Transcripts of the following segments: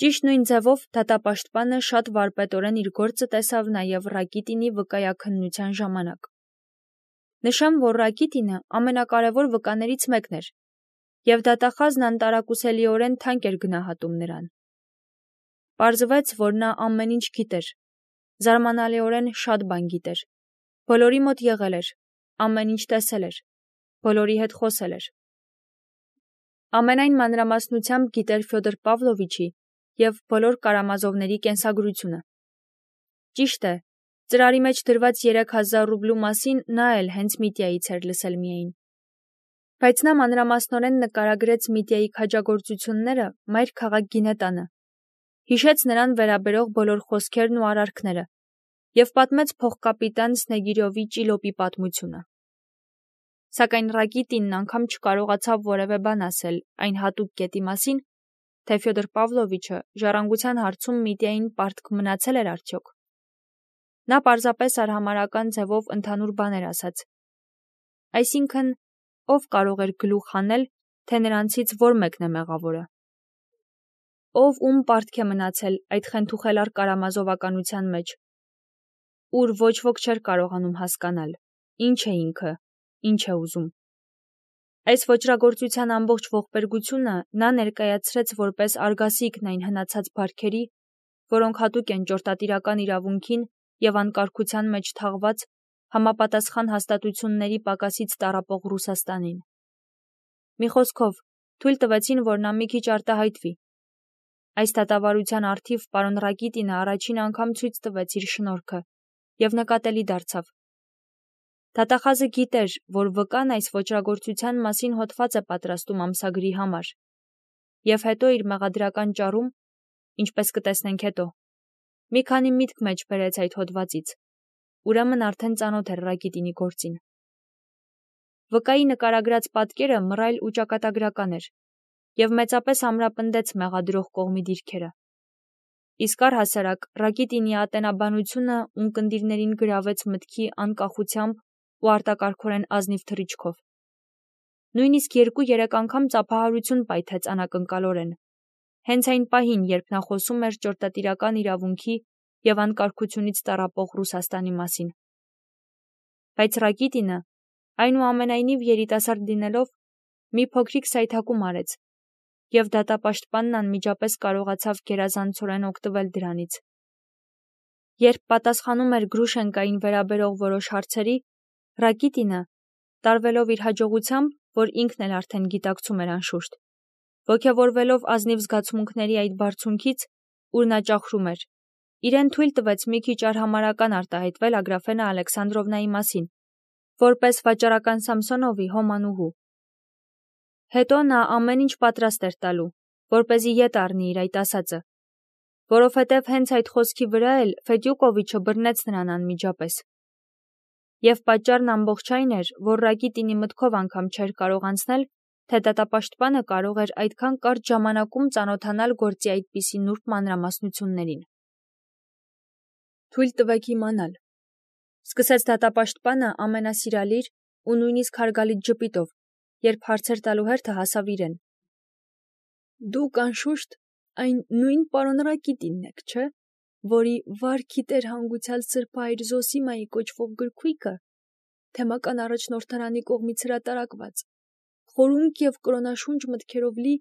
Ճիշտ նույն ձևով դատապաշտպանը շատ վարպետորեն իր գործը տեսավ նաև Ռակիտինի վկայաքննության ժամանակ։ Նշեմ, որ Ռակիտինը ամենակարևոր վկաներից մեկն էր, և դատախազն անտարակուսելիորեն թանկ էր գնահատում նրան։ Պարզվեց, որ նա ամեն ինչ գիտեր, զարմանալիորեն շատ բան գիտեր, բոլորի մոտ եղել էր, ամեն ինչ տեսել էր, բոլորի հետ խոսել էր։ Ամենայն մանրամասնությամբ գիտեր Ֆյոդոր Պավլովիչի և բոլոր Կարամազովների կենսագրությունը։ Ճիշտ է, ծրարի մեջ դրված 3000 ռուբլու մասին նա էլ հենց Միտյայից էր լսել միայն։ Բայց նա մանրամասնորեն նկարագրեց Միտյայի քաջագործությունները մայր քաղաք Գինետանը, հիշեց նրան վերաբերող բոլոր խոսքերն ու արարքները և պատմեց փոխկապիտան Սնեգիրովի ճիլոպի պատմությունը։ Սակայն Ռակիտինն անգամ չկարողացավ որևէ բան ասել այն հատուկ կետի մասին, թե Ֆյոդոր Պավլովիչը ժառանգության հարցում Միտյային պարտք մնացել էր արդյոք։ Նա պարզապես արհամարհական ձևով ընդհանուր բաներ ասաց։ Այսինքն, ով կարող էր գլուխ հանել, թե նրանցից որ մեկն է մեղավորը։ Ով ում պարտք է մնացել այդ խենթուխելար կարամազովականության մեջ, ուր ոչ ոք չէր կարողանում հասկանալ, ինչ է ինքը, ինչ է ուզում։ Այս ոճրագործության ամբողջ ողբերգությունը նա ներկայացրեց որպես արգասիքն այն հնացած բարքերի, որոնք հատուկ են ճորտատիրական իրավունքին և անկարգության մեջ թաղված համապատասխան հաստատությունների պակասից տառապող Ռուսաստանին։ Մի խոսքով, թույլ տվեցին, որ նա մի քիչ արտահայտվի։ Այս դատավարության առթիվ պարոն Ռակիտինը առաջին անգամ ցույց տվեց իր շնորհքը և նկատելի դարձավ։ Դատախազը գիտեր, որ վկան այս ոճրագործության մասին հոդված է պատրաստում ամսագրի համար, և հետո իր մեղադրական ճառում, ինչպես կտեսնենք հետո, մի քանի միտք մեջ բերեց այդ հոդվածից, ուրեմն արդեն ծանոթ էր Ռակիտինի գործին։ Վկայի նկարագրած պատկերը մռայլ ու ճակատագրական էր, և մեծապես ամրապնդեց մեղադրող կողմի դիրքերը։ Իսկ առհասարակ Ռակիտինի ատենաբանությունը ունկնդիրներին գրավեց մտքի անկախությամբ ու արտակարգորեն ազնիվ թռիչքով։ Նույնիսկ 2-3 անգամ ծափահարություն պայթեց անակնկալորեն, հենց այն պահին, երբ նա խոսում էր ճորտատիրական իրավունքի և անկարգությունից տառապող Ռուսաստանի մասին։ Բայց Ռակիտինը, այնուամենայնիվ երիտասարդ լինելով, մի փոքրիկ սայթաքում արեց, և դատապաշտպանն անմիջապես կարողացավ գերազանցորեն օգտվել դրանից։ Երբ պատասխանում էր Գրուշենկային վերաբերող որոշ հարցերի, Ռակիտինը, տարվելով իր հաջողությամբ, որ ինքն էլ արդեն գիտակցում էր անշուշտ, ոգևորվելով ազնիվ զգացմունքների այդ բարձունքից, ուր նա ճախրում էր, իրեն թույլ տվեց մի քիչ արհամարհական արտահայտվել Ագրաֆենա Ալեքսանդրովնայի մասին, որպես վաճառական Սամսոնովի հոմանուհու։ Հետո նա ամեն ինչ պատրաստ էր տալու, որպեսզի ետ առնի իր այդ ասածը, որովհետև հենց այդ խոսքի վրա էլ Ֆեդյուկովիչը բռնեց նրան անմիջապես։ Եվ պատճառն ամբողջ այն էր, որ Ռակիտինի մտքով անգամ չէր կարող անցնել, թե դատապաշտպանը կարող էր այդքան կարճ ժամանակում ծանոթանալ գործի այդպիսի նուրբ մանրամասնություններին։ Թույլ տվեք իմանալ, սկսեց դատապաշտպանը ամենասիրալիր ու նույնիսկ հարգալից ժպիտով, երբ հարցեր տալու հերթը հասավ իրեն։ Դուք անշուշտ այն նույն պարոն Ռակիտինն եք, չէ՞, որի «Վարքի տեր հանգուցյալ սրբահայր Զոսիմայի» կոչվող գրքույկը, թեմական առաջնորդարանի կողմից հրատարակված, խորունկ և կրոնաշունչ մտքերով լի,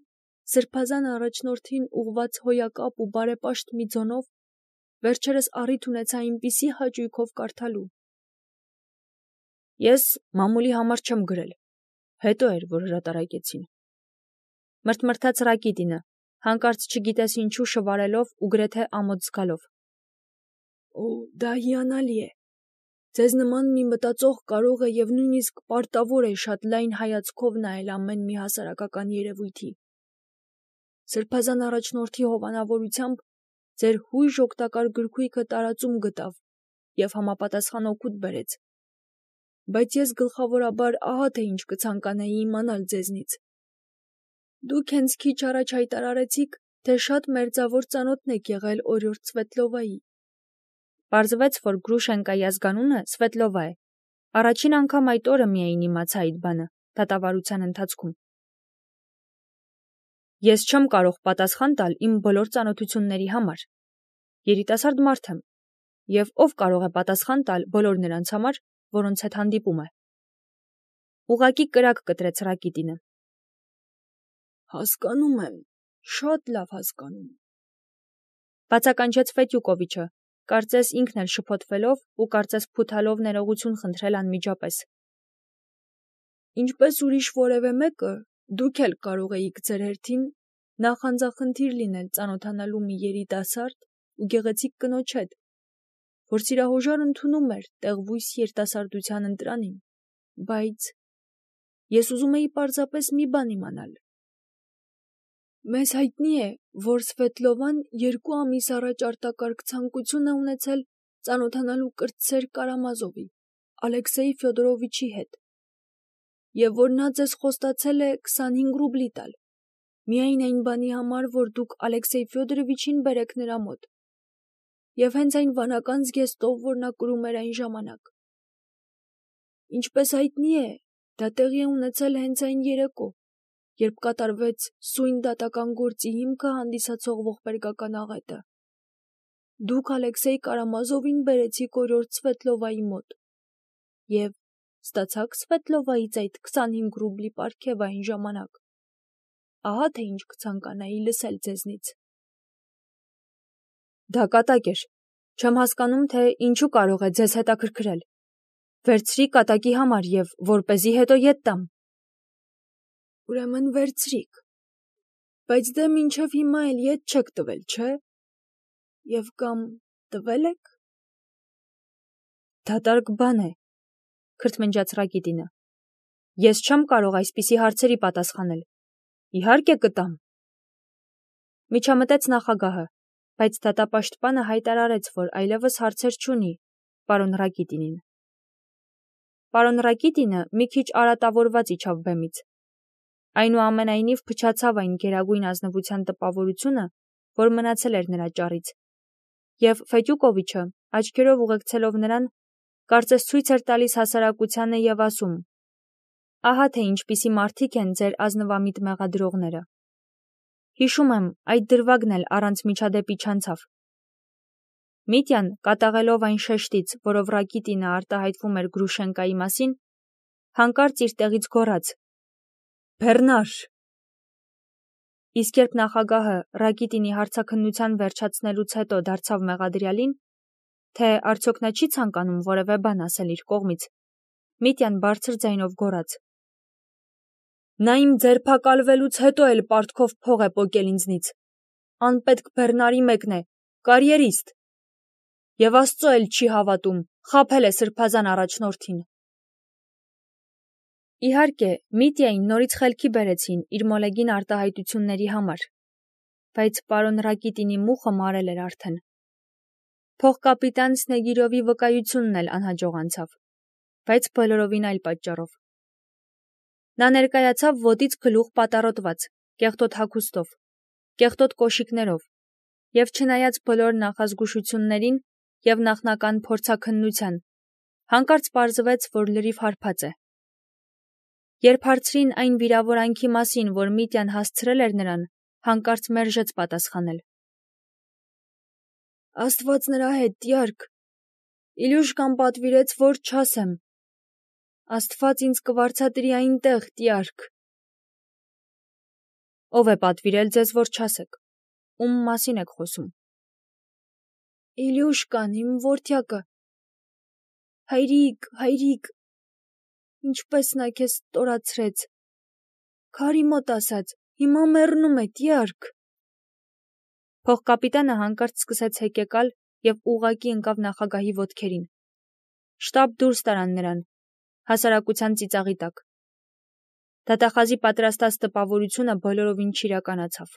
սրբազան առաջնորդին ուղղված հոյակապ ու բարեպաշտ մի ձոնով, վերջերս առիթ ունեցա այնպիսի հաճույքով կարդալու։ Ես մամուլի համար չեմ գրել, հետո էր, որ հրատարակեցին։ Մրթմրթաց Ռակիտինը, հանկարծ չգիտես ինչու շվարելով ու գրեթե ամոթ զգալով։ Օ, դա հիանալի է։ Ձեզ նման մի մտածող կարող է և նույնիսկ պարտավոր է շատ լայն հայացքով նայել ամեն մի հասարակական երևույթի։ Սրբազան առաջնորդի հովանավորությամբ ձեր հույժ օգտակար գրքույկը տարածում գտավ և համապատասխան օգուտ բերեց։ Բայց ես գլխավորաբար ահա թե ինչ կցանկանայի իմանալ ձեզնից։ Դուք հենց քիչ առաջ հայտարարեցիք, թե շատ մերձավոր ծանոթն եք եղել օրիորդ Սվետլովայի։ Պարզվեց, որ Գրուշենկայի ազգանունը Սվետլովա է։ Առաջին անգամ այդ օրը միայն իմացա այդ բանը, դատավարության ընթացքում։ Ես չեմ կարող պատասխան տալ իմ բոլոր ծանոթությունների համար։ Երիտասարդ մարդ եմ, և ով կարող է պատասխան տալ բոլոր նրանց համար, որոնց հետ հանդիպում է։ Ուղղակի կրակ կտրեց Ռակիտինը։ Հասկանում եմ, շատ լավ հասկանում եմ։ Բացականչեց Ֆետյուկովիչը, կարծես ինքն էլ շփոթվելով ու կարծես փութալով ներողություն խնդրել անմիջապես։ Ինչպես ուրիշ որևէ մեկը, դուք էլ կարող էիք ձեր հերթին նախանձախնդիր լինել ծանոթանալու մի երիտասարդ ու գեղեցիկ կնոջ հետ, որ սիրահոժար ընդունում էր տեղվույս երիտասարդության ընտրանին, բայց ես ուզում էի պարզապես մի բան իմանալ։ Մեզ հայտնի է, որ Սվետլովան 2 ամիս առաջ արտակարգ ցանկություն է ունեցել ծանոթանալու կրտսեր Կարամազովի, Ալեքսեյ Ֆյոդորովիչի հետ, և որ նա ձեզ խոստացել է 25 ռուբլի տալ, միայն այն բանի համար, որ դուք Ալեքսեյ Ֆյոդորովիչին բերեք նրա մոտ, և հենց այն վանական զգեստով, որ նա կրում էր այն ժամանակ։ Ինչպես հայտնի է, դա տեղի է ունեցել հենց այն երեկո, երբ կատարվեց սույն դատական գործի հիմքը հանդիսացող ողբերգական աղետը։ Դուք Ալեքսեյ Կարամազովին բերեցիք օրիորդ Սվետլովայի մոտ և ստացաք Սվետլովայից այդ 25 ռուբլի պարգևը այն ժամանակ։ Ահա թե ինչ կցանկանայի լսել ձեզնից։ Դա կատակ էր։ Չեմ հասկանում, թե ինչու կարող է ձեզ հետաքրքրել։ Վերցրի կատակի համար և որպեսզի հետո ետ տամ։ Ուրեմն վերցրիք, բայց դե մինչև հիմա էլ ետ չեք տվել, չէ՞։ Եվ կամ տվել եք։ Դատարկ բան է, քրթմնջաց Ռակիտինը։ Ես չեմ կարող այսպիսի հարցերի պատասխանել։ Իհարկե կտամ։ Միջամտեց նախագահը, բայց դատապաշտպանը հայտարարեց, որ այլևս հարցեր չունի պարոն Ռակիտինին։ Պարոն Ռակիտինը մի քիչ արատավորված իջավ բեմից։ Այնուամենայնիվ փչացավ այն գերագույն ազնվության տպավորությունը, որ մնացել էր նրա ճառից, և Ֆետյուկովիչը, աչքերով ուղեկցելով նրան, կարծես ցույց էր տալիս հասարակությանը և ասում. «Ահա թե ինչպիսի մարդիկ են ձեր ազնվամիտ մեղադրողները»։ Հիշում եմ, այդ դրվագն էլ առանց միջադեպի չանցավ։ Միտյան, կատաղելով այն շեշտից, որով Ռակիտինը արտահայտվում էր Գրուշենկայի մասին, հանկարծ իր տեղից գոռաց. «Բեռնար»։ Իսկ երբ նախագահը Ռակիտինի հարցաքննության վերջացնելուց հետո դարձավ մեղադրյալին, թե արդյոք նա չի ցանկանում որևէ բան ասել իր կողմից, Միտյան բարձր ձայնով գոռաց. «Նա իմ ձերբակալվելուց հետո էլ պարտքով փող է պոկել ինձնից, անպետք բեռնարի մեկն է, կարիերիստ, և Աստծո էլ չի հավատում, խաբել է սրբազան առաջնորդին»։ Իհարկե, Միտյային նորից խելքի բերեցին իր մոլեգին արտահայտությունների համար, բայց պարոն Ռակիտինի մուխը մարել էր արդեն։ Փոխկապիտան Սնեգիրովի վկայությունն էլ անհաջող անցավ, բայց բոլորովին այլ պատճառով։ Նա ներկայացավ ոտից գլուխ պատառոտված, կեղտոտ հագուստով, կեղտոտ կոշիկներով, և չնայած բոլոր նախազգուշություններին և նախնական փորձաքննության, հանկարծ պարզվեց, որ լրիվ հարբած է։ Երբ հարցրին այն վիրավորանքի մասին, որ Միտյան հասցրել էր նրան, հանկարծ մերժեց պատասխանել։ Աստված նրա հետ, տյարք։ Իլյուշկան պատվիրեց, որ չասեմ։ Աստված ինձ կվարձատրի այնտեղ, տյարք։ Ով է պատվիրել ձեզ, որ չասեք։ Ում մասին եք խոսում։ Իլյուշկան, իմ որդյակը։ Հայրիկ, ինչպես նա քեզ ստորացրեց։ Քարի մոտ ասած, հիմա մեռնում է, տյարք։ Փոխկապիտանը հանկարծ սկսեց հեկեկալ և ուղղակի ընկավ նախագահի ոտքերին։ Շտապ դուրս տարան նրան, հասարակության ծիծաղի տակ։ Դատախազի պատրաստած տպավորությունը բոլորովին չիրականացավ։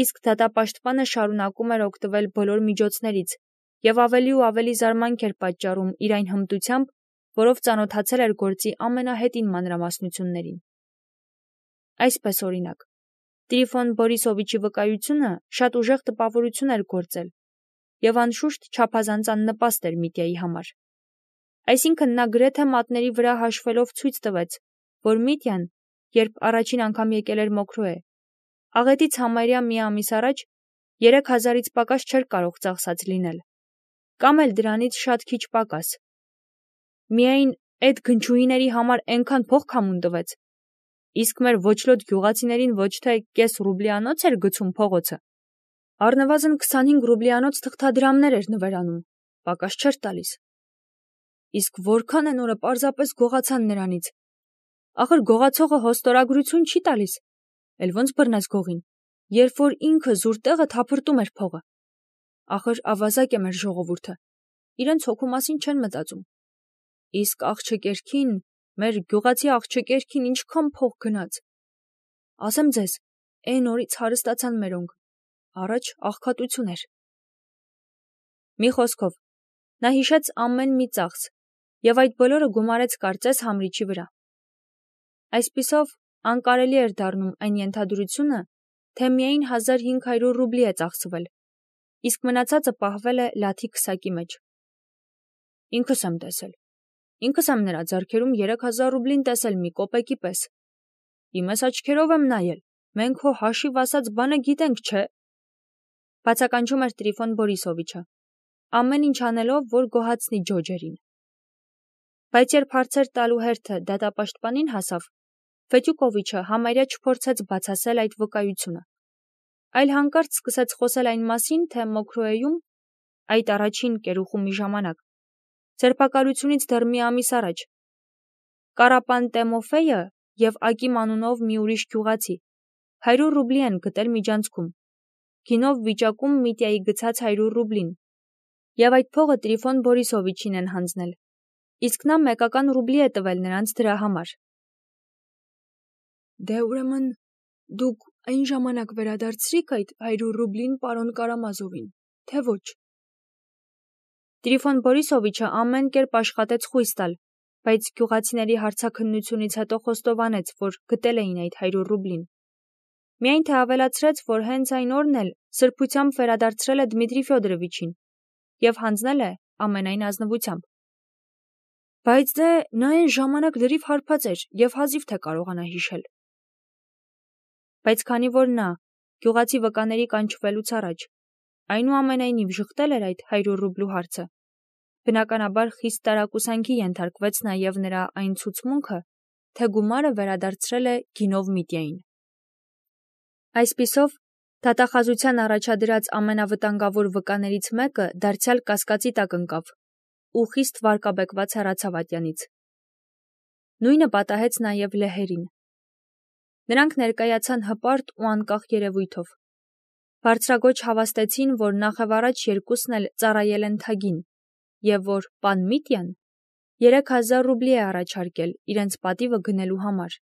Իսկ դատապաշտպանը շարունակում էր օգտվել բոլոր միջոցներից և ավելի ու ավելի զարմանք էր պատճառում իր այն հմտությամբ, որով ծանոթացել էր գործի ամենահետին մանրամասնություններին։ Այսպես օրինակ, Տրիֆոն Բորիսովիչի վկայությունը շատ ուժեղ տպավորություն էր գործել և անշուշտ չափազանց աննպաստ էր Միտյայի համար։ Այսինքն նա գրեթե մատների վրա հաշվելով ցույց տվեց, որ Միտյան, երբ առաջին անգամ եկել էր Մոքրոե, Աղետից համարյա մի ամիս առաջ 3000-ից պակաս չէր կարող ծախսած լինել, կամ էլ դրանից շատ քիչ պակաս։ Միայն այդ գնչուհիների համար այնքան փող քամուն տվեց, իսկ մեր ոչլոտ գյուղացիներին ոչ թե կես ռուբլիանոց էր գցում փողոցը, առնվազն 25 ռուբլիանոց թղթադրամներ էր նվերանում, պակաս չէր տալիս։ Իսկ որքան են օրը պարզապես գողացան նրանից։ Ախր գողացողը հոստորագրություն չի տալիս, էլ ոնց բռնես գողին, երբ որ ինքը զուր տեղը թափրտում էր փողը։ Ախր ավազակ է մեր ժողովուրդը, իրենց հոգու մասին չեն մտածում։ Իսկ աղջկերքին, մեր գյուղացի աղջկերքին ինչքան փող գնաց։ Ասեմ ձեզ, այն օրից հարստացան մերոնք, առաջ աղքատություն էր։ Մի խոսքով, նա հիշեց ամեն մի ծախս և այդ բոլորը գումարեց կարծես համրիչի վրա։ Այսպիսով, անկարելի էր դառնում այն ենթադրությունը, թե միայն 1500 ռուբլի է ծախսվել, իսկ մնացածը պահվել է լաթի քսակի մեջ։ Ինքս եմ տեսել։ Ինքս եմ նրա ձեռքերում 3000 ռուբլին տեսել մի կոպեկի պես։ Իմս աչքերով եմ նայել, մենք հո հաշիվ ասած բանը գիտենք, չէ՞։ Բացականչում էր Տրիֆոն Բորիսովիչը, ամեն ինչ անելով, որ գոհացնի ջոջերին։ Բայց երբ հարցեր տալու հերթը դատապաշտպանին հասավ, Ֆետյուկովիչը համարյա չփորձեց բացասել այդ վկայությունը, այլ հանկարծ սկսեց խոսել այն մասին, թե Մոքրոեում, այդ առաջին կերուխումի ժամանակ, ձերբակալությունից դեռ մի ամիս առաջ, Կարապան Տեմոֆեյը և Ակիմ անունով մի ուրիշ գյուղացի 100 ռուբլի են գտել միջանցքում, գինով վիճակում Միտյայի գցած 100 ռուբլին, և այդ փողը Տրիֆոն Բորիսովիչին են հանձնել, իսկ նա մեկական ռուբլի է տվել նրանց դրա համար։ Դե ուրեմն դուք այն ժամանակ վերադարձրիք այդ 100 ռուբլին պարոն Կարամազովին, թե ոչ։ Տրիֆոն Բորիսովիչը ամեն կերպ աշխատեց խույս տալ, բայց գյուղացիների հարցաքննությունից հետո խոստովանեց, որ գտել էին այդ 100 ռուբլին։ Միայն թե ավելացրեց, որ հենց այն օրն էլ սրբությամբ վերադարձրել է Դմիտրի Ֆյոդորովիչին և հանձնել է ամենայն ազնվությամբ։ Բայց դե նա այն ժամանակ լրիվ հարբած էր և հազիվ թե կարողանա հիշել։ Բայց քանի որ նա, գյուղացի վկաների կանչվելուց առաջ, այնուամենայնիվ ժխտել էր այդ 100 ռուբլու հարցը, բնականաբար խիստ տարակուսանքի ենթարկվեց նաև նրա այն ցուցմունքը, թե գումարը վերադարձրել է գինով Միտյային։ Այսպիսով, դատախազության առաջադրած ամենավտանգավոր վկաներից մեկը դարձյալ կասկածի տակ ընկավ ու խիստ վարկաբեկված հեռացավ ատյանից։ Նույնը պատահեց նաև լեհերին։ Նրանք ներկայացան հպարտ ու անկախ երևույթով։ Բարձրագոչ հավաստեցին, որ նախևառաջ երկուսն էլ ծառայել են թագին, և որ պան Միտյան 3000 ռուբլի է առաջարկել իրենց պատիվը գնելու համար,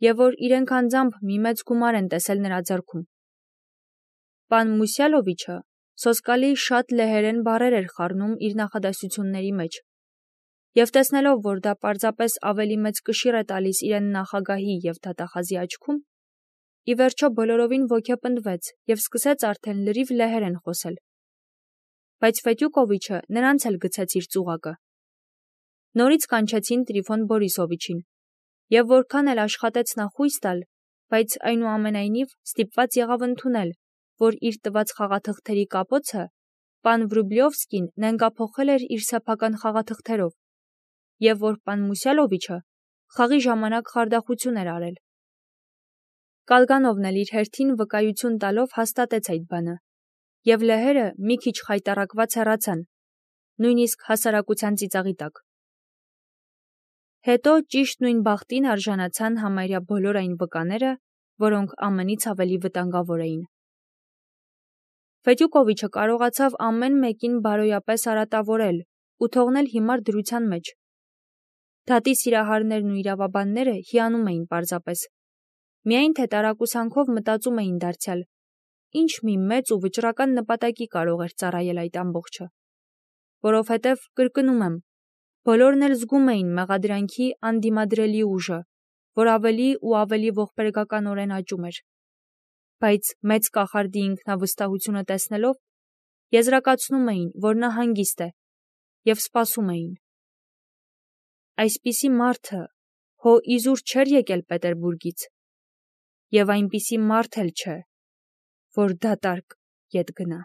և որ իրենք անձամբ մի մեծ գումար են տեսել նրա ձեռքում։ Պան Մուսյալովիչը սոսկալի շատ լեհերեն բառեր էր խառնում իր նախադասությունների մեջ, և տեսնելով, որ դա պարզապես ավելի մեծ կշիռ է տալիս իրեն նախագահի և դատախազի աչքում, ի վերջո բոլորովին ոգեպնդվեց և սկսեց արդեն լրիվ լեհերեն խոսել։ Բայց Ֆետյուկովիչը նրանց էլ գցեց իր ծուղակը։ Նորից կանչեցին Տրիֆոն Բորիսովիչին, և որքան էլ աշխատեց նա խույս տալ, բայց այնուամենայնիվ ստիպված եղավ ընդունել, որ իր տված խաղաթղթերի կապոցը պան Վրուբլյովսկին նենգափոխել էր իր սեփական խաղաթղթերով, և որ պան Մուսյալովիչը խաղի ժամանակ խարդախություն էր արել։ Կալգանովն էլ իր հերթին վկայություն տալով հաստատեց այդ բանը, և լեհերը մի քիչ խայտառակված հեռացան, նույնիսկ հասարակության ծիծաղի տակ։ Հետո ճիշտ նույն բախտին արժանացան համարյա բոլոր այն վկաները, որոնք ամենից ավելի վտանգավոր էին։ Ֆետյուկովիչը կարողացավ ամեն մեկին բարոյապես արատավորել ու թողնել հիմար դրության մեջ։ Դատի սիրահարներն ու իրավաբանները հիանում էին պարզապես։ Միայն թե տարակուսանքով մտածում էին դարձյալ, ինչ մի մեծ ու վճռական նպատակի կարող էր ծառայել այդ ամբողջը։ Որովհետև, կրկնում եմ, բոլորն էլ զգում էին մեղադրանքի անդիմադրելի ուժը, որ ավելի ու ավելի ողբերգականորեն աճում էր։ Բայց մեծ կախարդի ինքնավստահությունը տեսնելով, եզրակացնում էին, որ նա հանգիստ է, և սպասում էին։ Այսպիսի մարդը հո իզուր չէր եկել Պետերբուրգից։ եւ այնպիսի մարդ էլ չէ, որ դատարկ ետ գնա։